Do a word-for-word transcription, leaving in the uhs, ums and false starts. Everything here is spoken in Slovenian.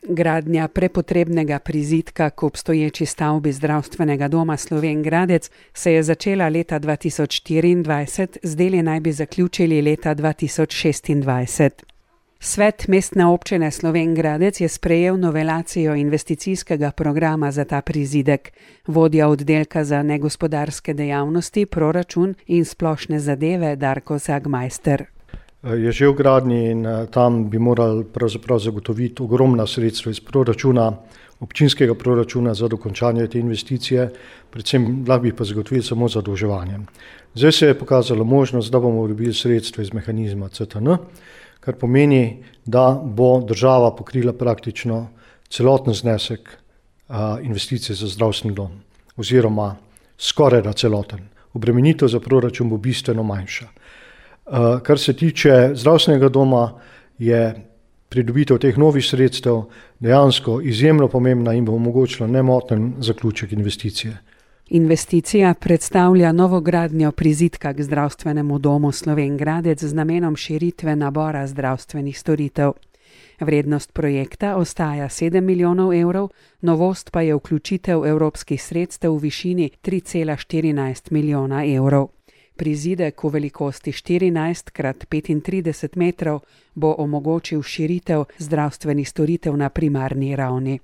Gradnja prepotrebnega prizidka k obstoječi stavbi Zdravstvenega doma Slovenj Gradec se je začela leta dva tisoč štiriindvajset, z deli naj bi zaključili leta dva tisoč šestindvajset. Svet Mestne občine Slovenj Gradec je sprejel novelacijo investicijskega programa za ta prizidek. Vodja oddelka za negospodarske dejavnosti, proračun in splošne zadeve Darko Zagmajster. Je že v gradnji in tam bi morali pravzaprav zagotoviti ogromna sredstva iz proračuna, občinskega proračuna za dokončanje te investicije, predvsem lahko bi pa zagotovili samo zadolževanje. Zdaj se je pokazala možnost, da bomo dobili sredstva iz mehanizma C T N, kar pomeni, da bo država pokrila praktično celoten znesek investicije za zdravstveni dom, oziroma skoraj da celoten. Obremenitev za proračun bo bistveno manjša. Kar se tiče zdravstvenega doma, je pridobitev teh novih sredstev dejansko izjemno pomembna in bo omogočila nemoten zaključek investicije. Investicija predstavlja novogradnjo prizidka k Zdravstvenemu domu Slovenj Gradec z namenom širitve nabora zdravstvenih storitev. Vrednost projekta ostaja sedem milijonov evrov, novost pa je vključitev evropskih sredstev v višini tri cela štirinajst milijona evrov. Prizidek v velikosti štirinajst krat petintrideset metrov bo omogočil širitev zdravstvenih storitev na primarni ravni.